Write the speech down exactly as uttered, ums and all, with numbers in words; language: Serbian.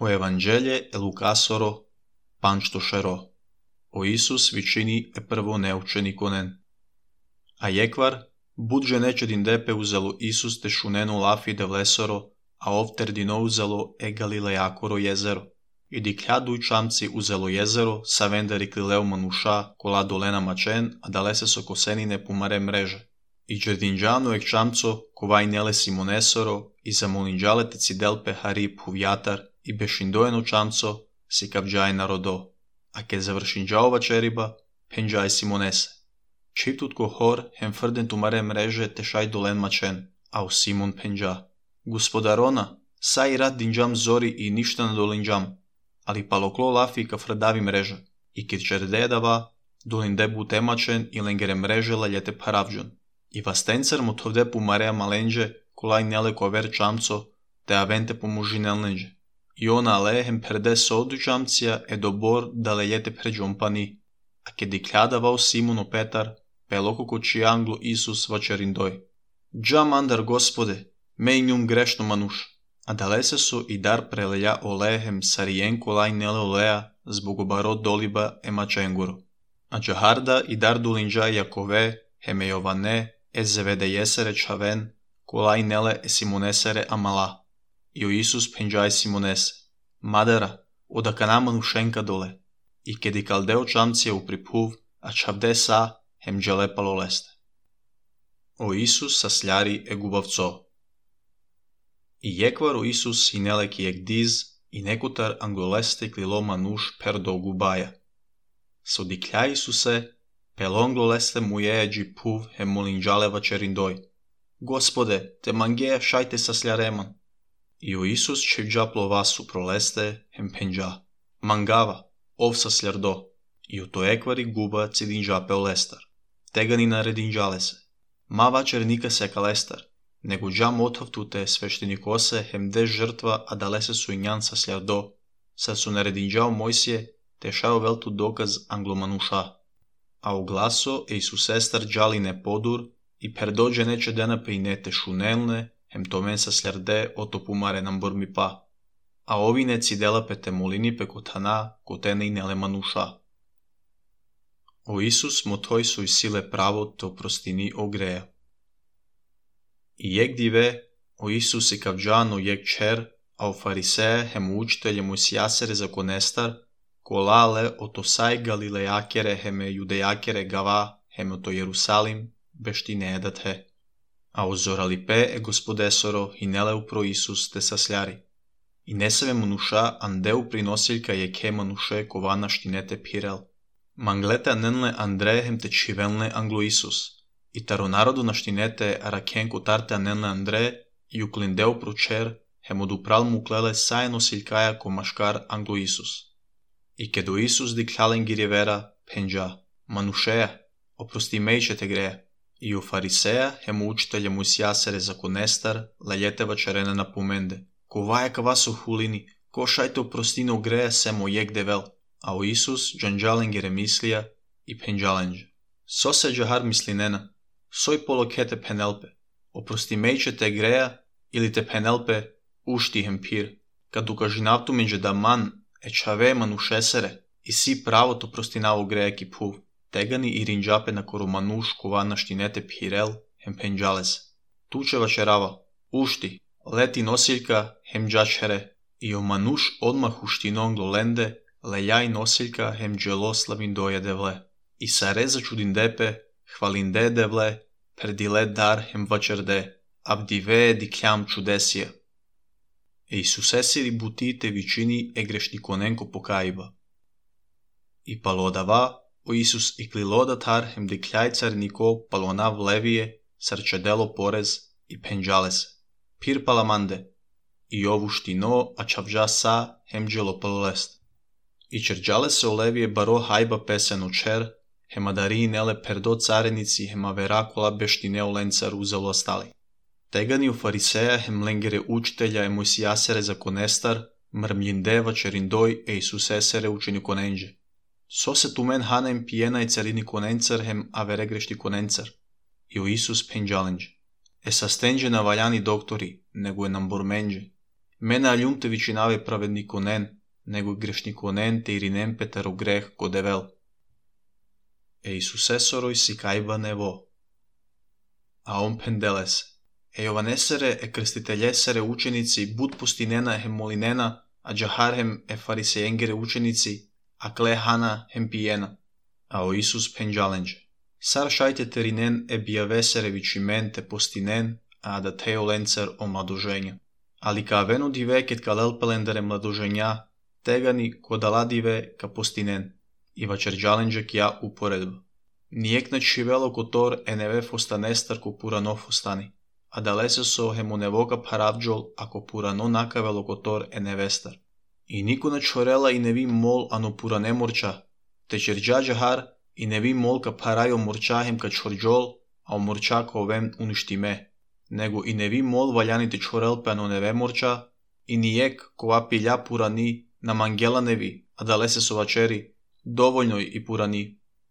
O Evanđelje e Lukasoro, pančtošero. O Isus vičini e prvo neučenikonen. A jekvar, budže neče din depe uzelo Isus te šunenu lafi de vlesoro, a ovter dino uzelo e Galilejakoro jezero. I diklja duj čamci uzelo jezero, sa venderi klileu manuša, kola dolena mačen, a dalese so kosenine pumare mreže. I čerdinđanu ek čamco, kovaj nele simonesoro, i zamolinđale te cidelpe harib huvjatar, i bešindojeno čamco, si kapđaj narodo. A ke završinđaova čeriba, penđaj simonese. Čiptutko hor, hem frden tumare mreže te šaj dolen mačen, a u Simon penđa. Gospodarona, saj rad dinđam zori i ništa na dolinđam, ali paloklo lafi ka frdavi mreža, i kit čerdedava, dolin debu temačen i lengere mreže laljete paravđon. I vastencar mu tovde pumarea malenđe, kolaj nele kover čamco, te avente pomužinelnenđe. I ona alehem perde sodu čamcija e dobor da lejete pređompani, a ke dikljadavao Simono Petar, peloko koči anglo Isus vačerindoj. Džam andar gospode, mej njum grešno manuš, a dalese su i dar preleja olehem sarijen kolaj nele olea zbog obarot doliba e mačenguro. A džaharda i dar dulinđa Jakove, heme Jovane, e zevede jesere čaven, kolaj nele e simonesere amala. I o Isus penđaj simonese. Madara, oda kanama nušenka dole. I kedi kaldeo čamcija u priphuv, a čavde sa, hem dželepalo leste. O Isus sasljari e gubavco. I jekvar o Isus i neleki ek diz, i nekutar angoleste klilo manuš perdo gubaja. So dikļa Isuse, pelonglo leste muje eđi puv hem molinđaleva čerindoj. Gospode, te mangeja šajte sasljareman. I o Isus čevđa plovasu proleste hem penđa. Mangava, ov sasljardo. I o to ekvari guba cidinđa peolestar. Tega ni naredinđale se. Ma vačernika se kalestar, nego džam othavtute sveštenikose hem de žrtva a dalese su injan sasljardo. Sad su naredinđao Mojsije, te šao veltu dokaz anglomanuša. A u glaso e Isusestar džaline podur i perdođe neče dena pe inete šunelne, hem tomen sasljarde oto pumare nam bormi pa. A ovine cidela pe te molini pe kotana, kotene i nele manuša. O Isus motoj su i sile pravo te oprostini ogreja. I jek dive, o Isus i kavđano jek čer, a o fariseje hem učitelje mojsijasere zakonestar, kolale oto saj galilejakere heme judejakere gava, heme oto Jerusalim, beštine edat he. A ozorali pe e gospodesoro i nele upro Isus te sasljari. I nesave manuša andeu prinosiljka je ke manuše kovana štinete pirel. Manglete anenle Andre hem te čivelne anglo Isus. I taro narodu na štinete arakenko tarte anenle Andre i uklindeu pročer hem odupral mu klele sajeno siljkaja ko maškar anglo Isus. I kedo Isus dikljalen girjevera penđa. Manušeja, oprosti mejče te greja. I o fariseja hem učitelja mojsijasere zakonestar lajeteva čarene napomende. Ko vaja ka vas o hulini, ko šajte oprostine ogreja semo jek devel. A o Isus džanđalen gere mislija i penđalenđe. So se džahar mislinena, soj polokete penelpe, oprosti mejče te greja ili te penelpe ušti hem pir. Kad ukažinavtu menđe da man e čave manušesere i si pravo to prostinavo greja ki puv. Tegani i rinđape na koru manuš kovana štinete pirel hem penđalese. Tučeva čerava, ušti, leti nosiljka hem džačere i o manuš odmah uštinon glolende lejaj nosiljka hem dželoslavin doje devle. I sa reza čudin depe, hvalinde devle, perdile dar hem vačerde, abdive dikljam čudesija. E Isusesiri butite vičini e grešnikonenko pokajiba. I palodava, o Isus i kliloda tar hem dikljaj carniko palonav levije, sarčedelo porez i penđalese. Pir palamande, i ovu štino a čavđa sa hem dželo palolest. I čerđale se olevije baro hajba peseno čer, hema dari nele perdo carenici hema verakola beštine olencar uzelo ostali. Tegani u fariseja hem lengere učitelja e mojsijasere zakonestar, mrmljindeva čerindoj e Isusesere učini konenđe. So se tumen hanem pijena i carini konencar hem avere grešti konencar. I o Isus penđalenđe. E sastenđe na valjani doktori, nego je nam bormenđe. Mena aljumte vicinave pravednikonen, nego grešnikonen te irinen petaro greh godevel. E Isusessoroi si kaibanevo. A on pendeles. E Jovanesere e krstiteljesere učenici bud pustinena hem molinena, a džaharhem e farisejengere učenici, a klehana hem pijena. A o Isus penđalenđe. Sar šajte terinen e bijavesere vicimen te postinen, a da teo lencer o mladoženja. Ali ka avenu diveket ka lelpelendere mladoženja, tegani kodaladive ka postinen, i vačerđalenđe kja uporedba. Nijek na čivelo kotor eneve fostanestar ko purano fostani, a da lese so hemonevoka paravđol ako purano nakavelo kotor enevestar. I niko na čorela i nevi mol ano purane morča, te čerđađa har i nevi mol ka parajo morčahem ka čorđol, a o morča ka ovem uništime, nego i nevi mol valjani te čorelpe ano neve morča, i nijek ko apilja purani na mangela nevi, a da lese so vačeri, dovoljnoj i purani.